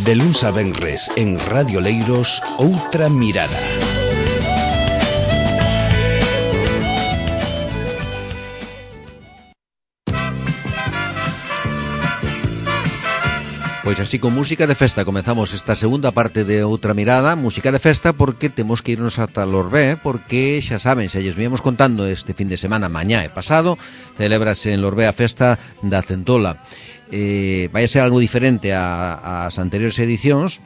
De luns a venres en Radio Leiros, Outra Mirada. Pois así con música de festa comezamos esta segunda parte de Outra Mirada, música de festa porque temos que irnos ata Lorbé, porque xa saben, xa lles víamos contando este fin de semana, mañá e pasado, celébrase en Lorbé a festa da Centola. Vai a ser algo diferente ás anteriores edicións,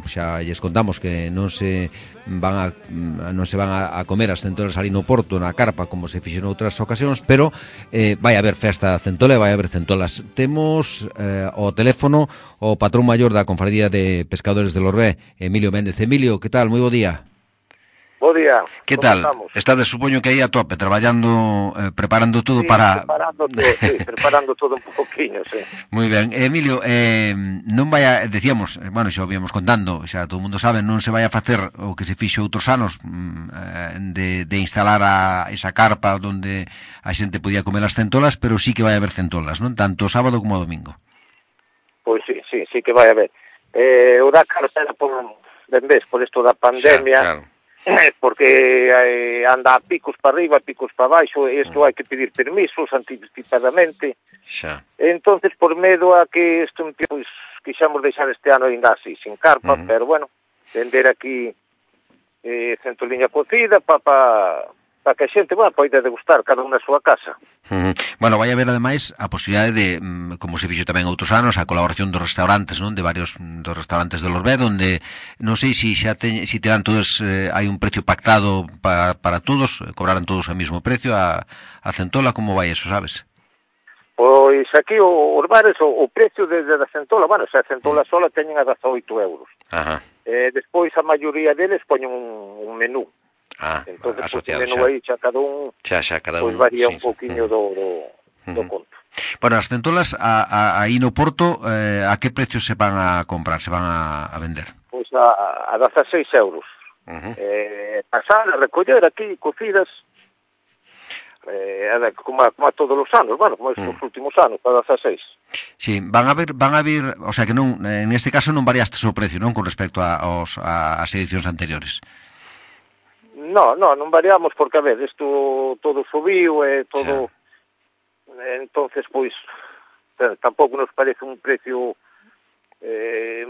xa lles contamos que non se van a comer as centolas ali no Porto, na carpa, como se fixo en outras ocasións, pero vai haber festa centola e vai haber centolas. Temos ao teléfono o patrón maior da Confradía de Pescadores de Lorbé, Emilio Méndez. Emilio, que tal? Moi bo día. Bo día. Que tal? Estades, supoño que aí a tope, traballando, preparando todo para... preparando todo un poquinho, sí. Moi ben. Emilio, non vai a... Decíamos, bueno, xa o víamos contando, xa todo o mundo sabe, non se vai a facer o que se fixo outros anos de instalar esa carpa onde a xente podía comer as centolas, pero sí que vai a haber centolas, non? Tanto sábado como domingo. Pois sí que vai a haber. O da carpa era por isto da pandemia... Xa, claro. Porque anda a picos para arriba, a picos para baixo, e isto hai que pedir permisos anticipadamente. Xa. Entonces, por medo a que isto, pois, quixamos deixar este ano ainda así, sin carpa, pero bueno, vender aquí centoliña cocida para que a xente, bueno, poida degustar cada unha na súa casa. Bueno, vai haber ademais a posibilidade de, como se fixo tamén outros anos, a colaboración dos restaurantes, non? De varios dos restaurantes de Lorbé, onde non sei se xa terán todos, hai un precio pactado para todos, cobrarán todos o mesmo precio a centola, como vai eso, sabes? Pois aquí os bares o precio desde a centola, bueno, se a centola sola teñen a 18 euros. Ajá. Despois a maioría deles poñen un menú. Entonces, pues, o menú aí xa cada un, pois varía un poquinho do conto. Bueno, as centolas aí no Porto, a que precio se van a comprar, se van a vender? Pois a 16 euros. Pasar a recoller aquí cocidas, como a todos os anos, bueno, como estes últimos anos, a 16. Sí, van a vir, o sea que non, en este caso non variaste o precio, non, con respecto ás edicións anteriores. Non variamos porque, a ver, isto todo subiu e todo... Entonces, pois, tampouco nos parece un precio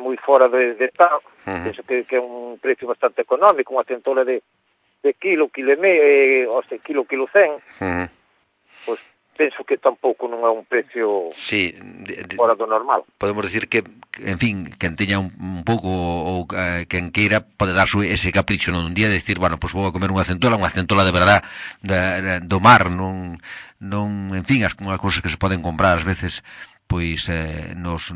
moi fora de tal. Penso que é un precio bastante económico, unha centola de kilo e medio, kilo 100. Pois penso que tampouco non é un precio fora do normal. Podemos decir que, en fin, quen teña un pouco ou quen queira pode dar ese capricho nun día de decir, bueno, pois vou a comer unha centola de verdad do mar, non en fin, as cousas que se poden comprar ás veces pois nos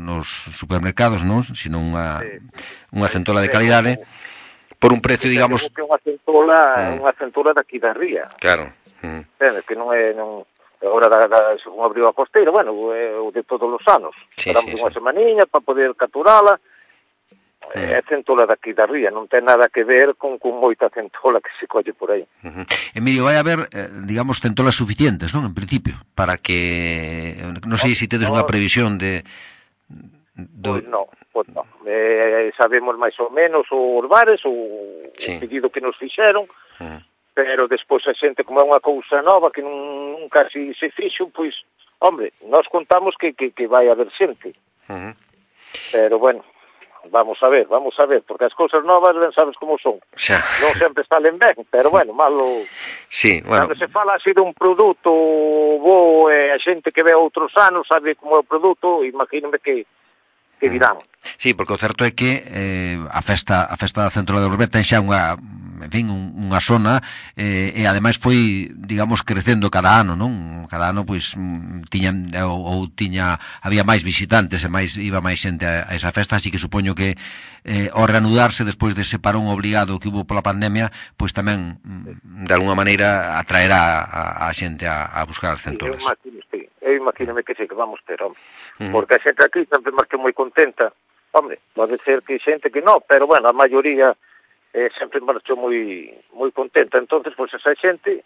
supermercados, non? Sino unha centola de calidade por un precio, digamos... Que unha centola daqui da ría. Claro. Que non é... Agora, según abriu a costeira, bueno, o de todos os anos. Esperamos unha semaniña para poder capturala. É centola daqui da ría, non ten nada que ver con moita centola que se colle por aí. Emilio, vai haber, digamos, centolas suficientes, non? En principio, para que... Non sei se tedes unha previsión de... Pois non. Sabemos máis ou menos os bares, o pedido que nos fixeron, pero despois a xente, como é unha cousa nova que non casi se fixo, pois, hombre, nós contamos que vai haber xente. Pero, bueno, vamos a ver, porque as cousas novas ben sabes como son. Non sempre salen ben, pero, bueno, malo... Sí, bueno... Cando se fala así dun produto bo, a xente que ve outros anos sabe como é o produto, imagínome que dirán. Sí, porque o certo é que a festa da Centola de Lorbé ten xa unha zona e ademais foi, digamos, crecendo cada ano, non? Cada ano, pois, había máis visitantes e iba máis xente a esa festa, así que supoño que ao reanudarse despois dese parón obligado que hubo pola pandemia, pois tamén, de alguna maneira, atraerá a xente a buscar as centolas. Eu imagínome que sí, que vamos ter, hombre. Porque a xente aquí sempre marcha moi contenta. Hombre, pode ser que xente que non, pero, bueno, a maioría sempre marchou moi contenta. Entonces, pois, esa xente,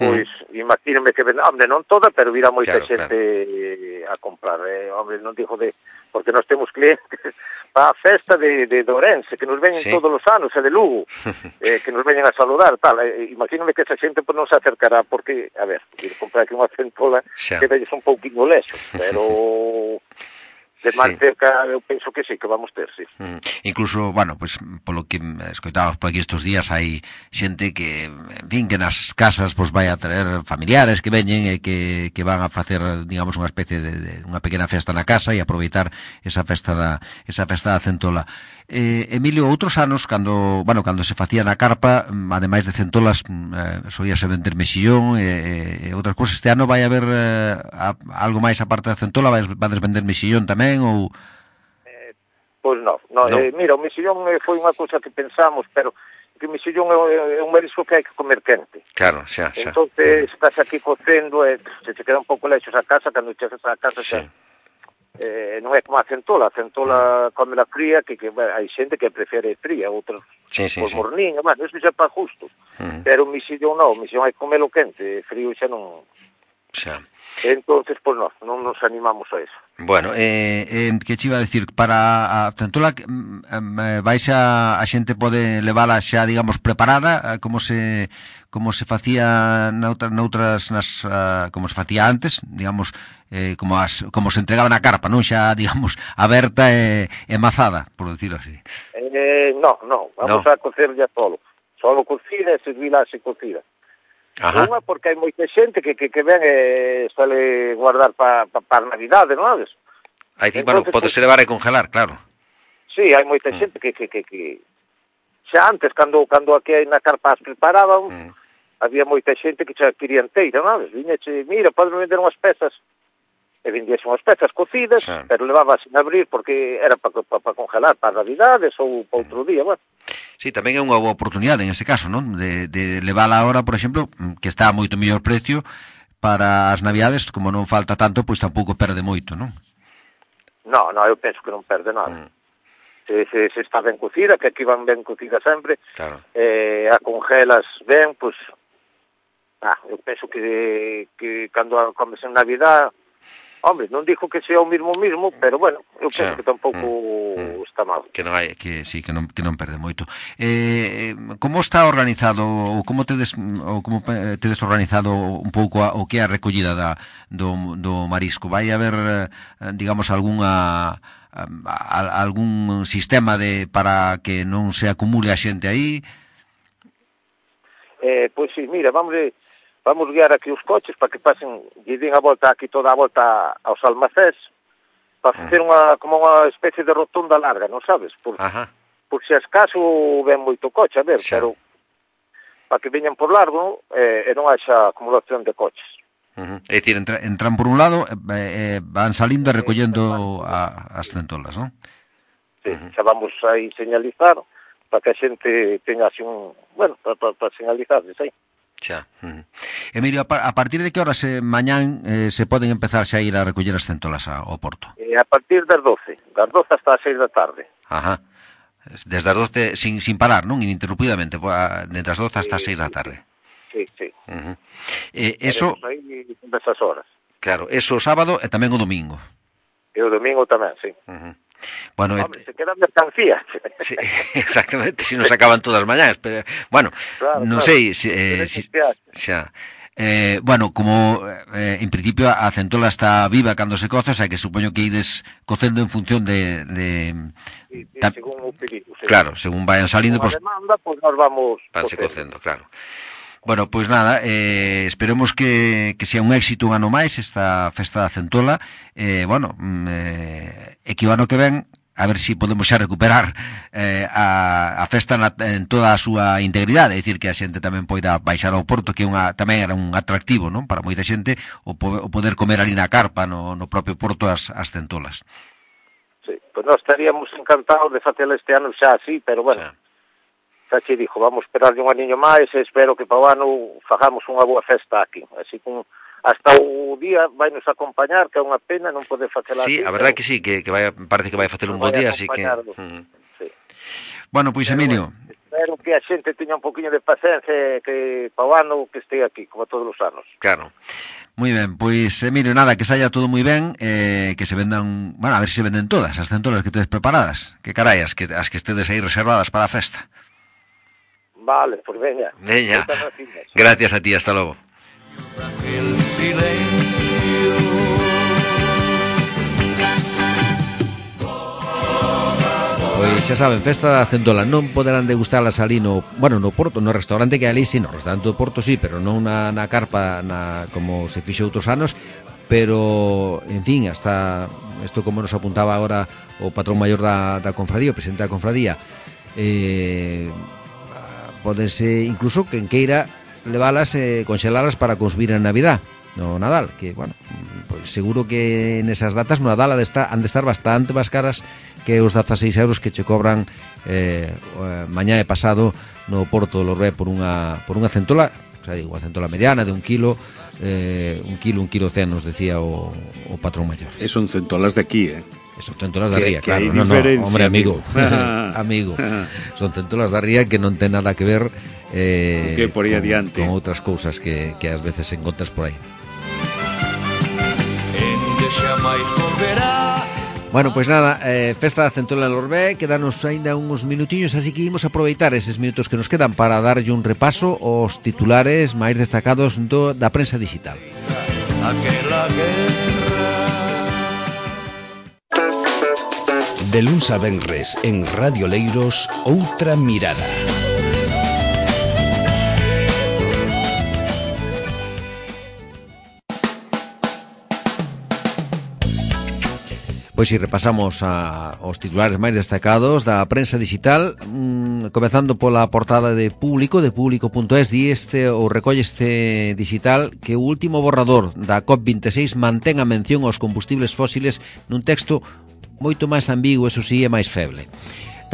pois, imagínome que, hombre, non toda, pero virá moita xente a comprar. Hombre, non digo de porque nós temos clientes para a festa de Ourense, que nos veñen todos os anos, e de Lugo, que nos veñen a saludar, tal. Imagínome que esa xente non se acercará, porque, a ver, ir comprar aquí unha centola que velles un pouquinho lexos, pero de máis cerca eu penso que sí, que vamos ter, sí. Incluso, bueno, pues polo que escoitábamos por aquí estes días, hai xente que, en fin, que nas casas pues vai a traer familiares que veñen e que van a facer, digamos, unha especie de unha pequena festa na casa e aproveitar esa festa da centola. Emilio, outros anos, cando se facía na carpa, ademais de centolas, solíase vender mexillón e outras cousas. Este ano vai haber algo máis aparte da centola? Vades vender mexillón tamén? Ou... Pois non. Mira, o mexillón foi unha cousa que pensamos, pero que o mexillón é un marisco que hai que comer quente. Claro, xa. Entonces, estás aquí cocendo e se te queda un pouco lexos a casa, cando chegas a casa xa... non é como a centola come la fría, que hai xente que prefere fría, outros por morniño, eso xa para gustos, pero o mexillón non, o mexillón hai que comelo quente, frío xa non... Xa. Entonces, pois non nos animamos a eso. Bueno, que che iba a decir, para a centola vais a xente pode levala xa, digamos, preparada, como se facía noutras como se facía antes, digamos, como se entregaba na carpa, non xa, digamos, aberta e mazada, por decirlo así. Non, vamos a cocer ya solo cocida e servila así cocida. Unha porque hai moita xente que ven e suele guardar para a Navidade, non sabes? Bueno, podese levar e congelar, claro. Sí, hai moita xente que xa antes, cando aquí na carpa as preparaban, había moita xente que xa quería inteira, non sabes? Viñeche, mira, podes vender unhas pezas, e vendiese unhas pezas cocidas, pero levaba sin abrir porque era para congelar para Navidades ou para outro día, bueno. Sí, tamén é unha boa oportunidade en ese caso, non? De levala ahora, por exemplo, que está a moito mellor precio para as Navidades, como non falta tanto, pois tampouco perde moito, non? Non, eu penso que non perde nada. Se está ben cocida, que aquí van ben cocida sempre, claro. A congelas ben, pois, eu penso que cando comes en Navidad, hombre, non digo que sea o mismo, pero bueno, eu penso que tampouco está mal. Que non hai, que non perde moito. Como está organizado ou como tedes organizado un pouco o que é a recollida do marisco? Vai haber, digamos, algún sistema para que non se acumule a xente aí? Pois sí, mira, vamos guiar aquí os coches para que pasen, lle den a volta aquí, toda a volta aos almacés, para facer como unha especie de rotonda larga, non sabes? Por se acaso ven moito coche, a ver, pero para que veñan por largo e non haxa acumulación de coches. É dicir, entran por un lado, van salindo e recollendo as centolas, non? Sí, xa vamos aí señalizar para que a xente teña así para señalizar, aí. Xa. Emilio, a partir de que horas mañán se poden empezar xa a ir a recoller as centolas ao porto? A partir das 12 hasta as 6 da tarde. Desde as 12 sin parar, non? Ininterrumpidamente, desde as 12 hasta as 6 da tarde. Sí. Eso... aí nesas horas. Claro, eso o sábado e tamén o domingo. E o domingo tamén, sí. Bueno, hombre, se quedan mercancías. Sí, exactamente, si nos acaban todas as mañás, pero bueno, non sei xa. Bueno, como en principio a centola está viva cando se coza, o sea que supoño que ides cocendo en función de según o pedido. Claro, según vayan salindo, pues demanda, pues nos vamos cocendo, claro. Bueno, pois nada, esperemos que sea un éxito un ano máis esta festa da centola, bueno, e que o ano que ven a ver se podemos xa recuperar a festa en toda a súa integridade, é dicir, que a xente tamén poida baixar ao porto, que tamén era un atractivo, non? Para moita xente o poder comer ali na carpa, no propio porto, as centolas. Sí, pois nós estaríamos encantados de facer este ano xa así, pero bueno, xa che dixo, vamos esperar un aniño máis e espero que para o ano fagamos unha boa festa aquí, así como hasta o día vai nos acompañar, que é unha pena non poder facela aquí. Sí, a verdade que sí, que parece que vai facer un bo día, así que... Sí. Bueno, pois Emilio... Espero que a xente teña un poquinho de paciencia que para o ano que este aquí, como todos os anos. Claro. Moi ben, pois, Emilio, nada, que saia todo moi ben, que se vendan, bueno, a ver se venden todas, as centolas que tedes preparadas. Que carai, as que estedes aí reservadas para a festa. Vale, pues veña. Veña, gracias a ti, hasta logo. Pois xa saben, festa da centola, non poderán degustalas ali no Porto, no restaurante que ali, sí, no restaurante do Porto sí, pero non na carpa como se fixo outros anos, pero, en fin, hasta isto como nos apuntaba agora o patrón maior da confradía, o presidente da confradía, podense, incluso, quen queira leválas, conxelalas para consumir en Navidad, no Nadal, que, bueno, pues seguro que nesas datas no Nadal han de estar bastante máis caras que os 16 euros que che cobran mañá e pasado no Porto do Lorbé por unha centola, o sea, unha centola mediana de 1 kilo, 1 kilo 100, nos decía o patrón maior. E son centolas de aquí, Son centolas da ría, claro. No, hombre, amigo. Amigo. Son centolas da ría que non ten nada que ver que por aí adiante con outras cousas que ás veces encontras por aí. Bueno, pois nada, festa da centola de Lorbé, quedanos aínda uns minutiños, así que imos aproveitar eses minutos que nos quedan para darlle un repaso aos titulares máis destacados da prensa digital. De luns a venres en Radio Leiros, Outra Mirada. Pois si repasamos os titulares máis destacados da prensa digital, comezando pola portada de Público.es, recolle este digital que o último borrador da COP26 mantén a mención aos combustibles fósiles nun texto moito máis ambiguo, eso sí, e máis feble.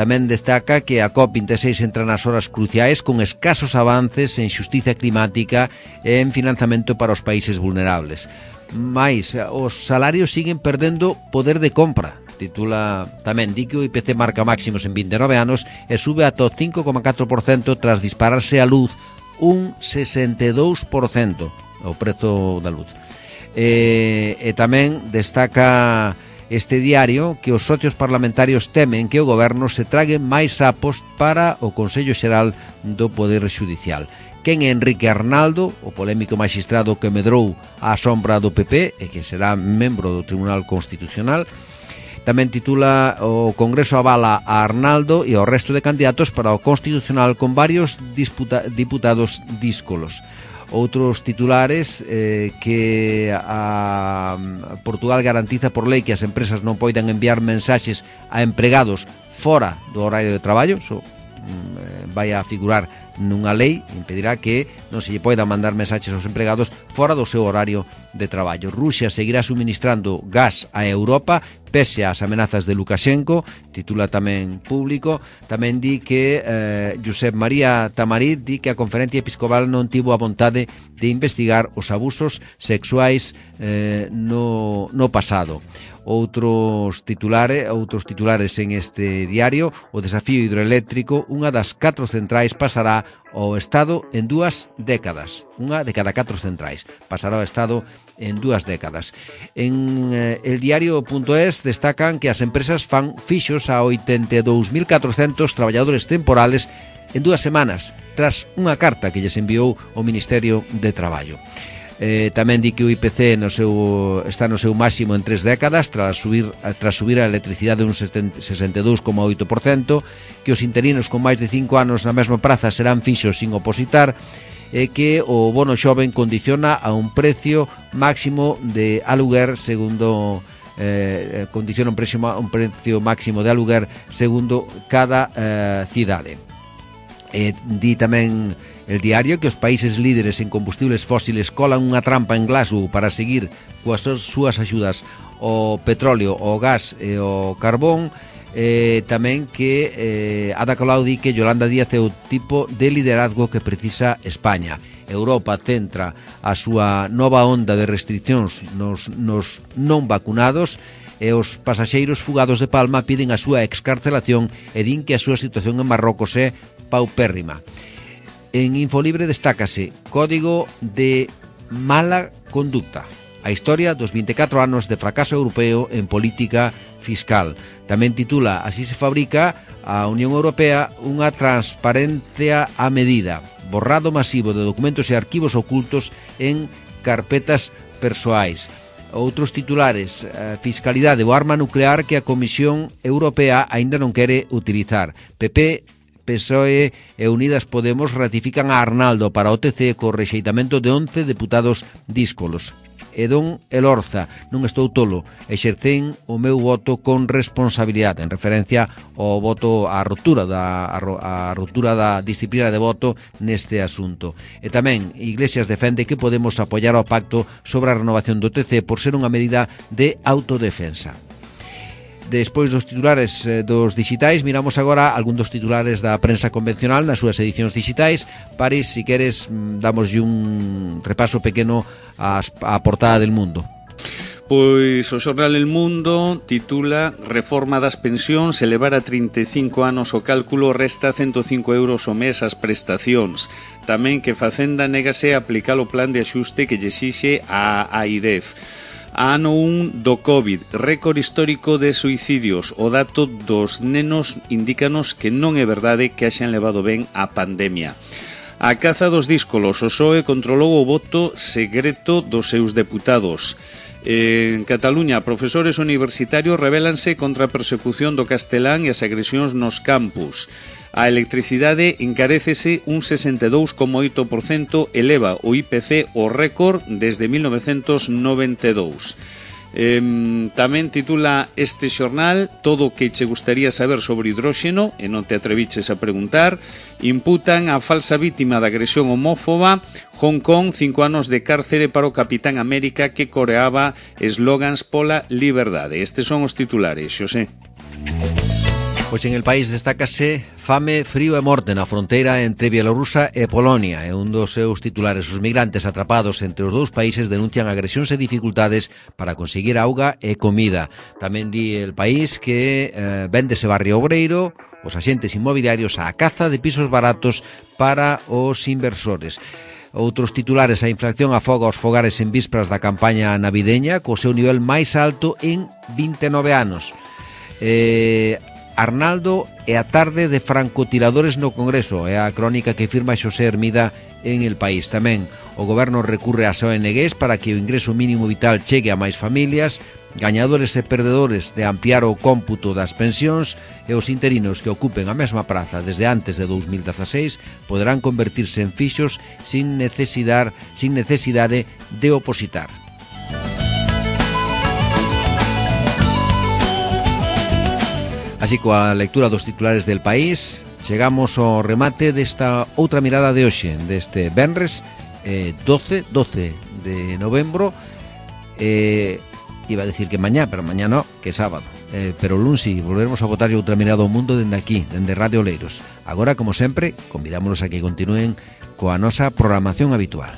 Tamén destaca que a COP26 entra nas horas cruciais con escasos avances en xustiza climática e en financiamento para os países vulnerables. Mais os salarios siguen perdendo poder de compra. Titula tamén, di que o IPC marca máximos en 29 anos e sube ata o 5,4% tras dispararse a luz un 62% o prezo da luz. E tamén destaca este diario que os socios parlamentarios temen que o goberno se trague máis sapos para o Consello Xeral do Poder Xudicial. Quen é Enrique Arnaldo, o polémico maxistrado que medrou á sombra do PP e que será membro do Tribunal Constitucional. Tamén titula o Congreso avala a Arnaldo e ao resto de candidatos para o Constitucional con varios diputados díscolos. Outros titulares que a Portugal garantiza por lei que as empresas non poidan enviar mensaxes a empregados fora do horario de traballo, vai a figurar nunha lei, impedirá que non se lle poida mandar mensaxes aos empregados fora do seu horario de traballo. Rusia seguirá suministrando gas a Europa pese ás amenazas de Lukashenko, titula tamén Público. Tamén di que Josep María Tamarit di que a Conferencia Episcopal non tivo a vontade de investigar os abusos sexuais no pasado. Outros titulares en este diario: o desafío hidroeléctrico, unha das 4 centrais pasará ao Estado en 2 décadas. Unha de cada 4 centrais pasará ao Estado en 2 décadas. En eldiario.es destacan que as empresas fan fixos a 82.400 traballadores temporales en 2 semanas, tras unha carta que lles enviou o Ministerio de Traballo. Tamén di que o IPC está no seu máximo en 3 décadas tras subir a electricidade un 62,8%, que os interinos con máis de 5 anos na mesma praza serán fixos sin opositar, e que o bono xoven condiciona a un precio máximo de aluguer segundo condiciona un precio máximo de aluguer segundo cada cidade. Di tamén el diario que os países líderes en combustibles fósiles colan unha trampa en Glasgow para seguir coas súas axudas ao petróleo, ao gas e ao carbón. Tamén que Ada Colau di que Yolanda Díaz é o tipo de liderazgo que precisa España. Europa centra a súa nova onda de restriccións nos non vacunados e os pasaxeiros fugados de Palma piden a súa excarcelación e din que a súa situación en Marrocos é paupérrima. En Infolibre destácase código de mala conducta. A historia dos 24 anos de fracaso europeo en política fiscal. Tamén titula Así se fabrica a Unión Europea unha transparencia a medida. Borrado masivo de documentos e arquivos ocultos en carpetas persoais. Outros titulares, fiscalidade ou arma nuclear que a Comisión Europea aínda non quere utilizar. PP, PSOE e Unidas Podemos ratifican a Arnaldo para o TC co rexeitamento de 11 deputados díscolos. E don Elorza, non estou tolo, exercen o meu voto con responsabilidade, en referencia ao voto á ruptura da disciplina de voto neste asunto. E tamén Iglesias defende que podemos apoiar o pacto sobre a renovación do TC por ser unha medida de autodefensa. Despois dos titulares dos digitais, miramos agora algún dos titulares da prensa convencional nas súas edicións digitais. Paris, si queres, damoslle un repaso pequeno á portada del Mundo. Pois o xornal El Mundo titula Reforma das pensións, elevar a 35 anos o cálculo resta 105 euros o mes as prestacións. Tamén que Facenda négase a aplicar o plan de axuste que lle exixe a AIDEF. Ano 1 do COVID, récord histórico de suicidios. O dato dos nenos indícanos que non é verdade que haxan levado ben a pandemia. A caza dos díscolos, o PSOE controlou o voto secreto dos seus deputados. En Cataluña, profesores universitarios rebelanse contra a persecución do castelán e as agresións nos campus. A electricidade encarécese un 62,8%, eleva o IPC o récord desde 1992. Tamén titula este xornal Todo o que che gustaría saber sobre hidróxeno e non te atreviches a preguntar. Imputan a falsa vítima da agresión homófoba. Hong Kong, 5 anos de cárcere para o Capitán América que coreaba eslogans pola liberdade. Estes son os titulares, Xosé. Pois en el país destácase fame, frío e morte na fronteira entre Bielorrusia e Polonia. É un dos seus titulares. Os migrantes atrapados entre os dous países denuncian agresións e dificultades para conseguir auga e comida. Tamén di el país que véndese barrio obreiro, os axentes inmobiliarios á caza de pisos baratos para os inversores. Outros titulares, a inflación afoga os fogares en vísperas da campaña navideña co seu nivel máis alto en 29 anos. Arnaldo e a tarde de francotiradores no Congreso é a crónica que firma Xosé Hermida en El País. Tamén o goberno recurre ás ONGs para que o ingreso mínimo vital chegue a máis familias, gañadores e perdedores de ampliar o cómputo das pensións e os interinos que ocupen a mesma praza desde antes de 2016 poderán convertirse en fixos sin necesidade de opositar. Así, coa lectura dos titulares del País, chegamos ao remate desta outra mirada de hoxe, deste venres 12 de novembro. Iba a decir que mañá, pero mañá no, que sábado. Pero lunsi volveremos a botar outra mirada ao mundo dende aquí, dende Radio Oleiros. Agora, como sempre, convidámonos a que continúen coa nosa programación habitual.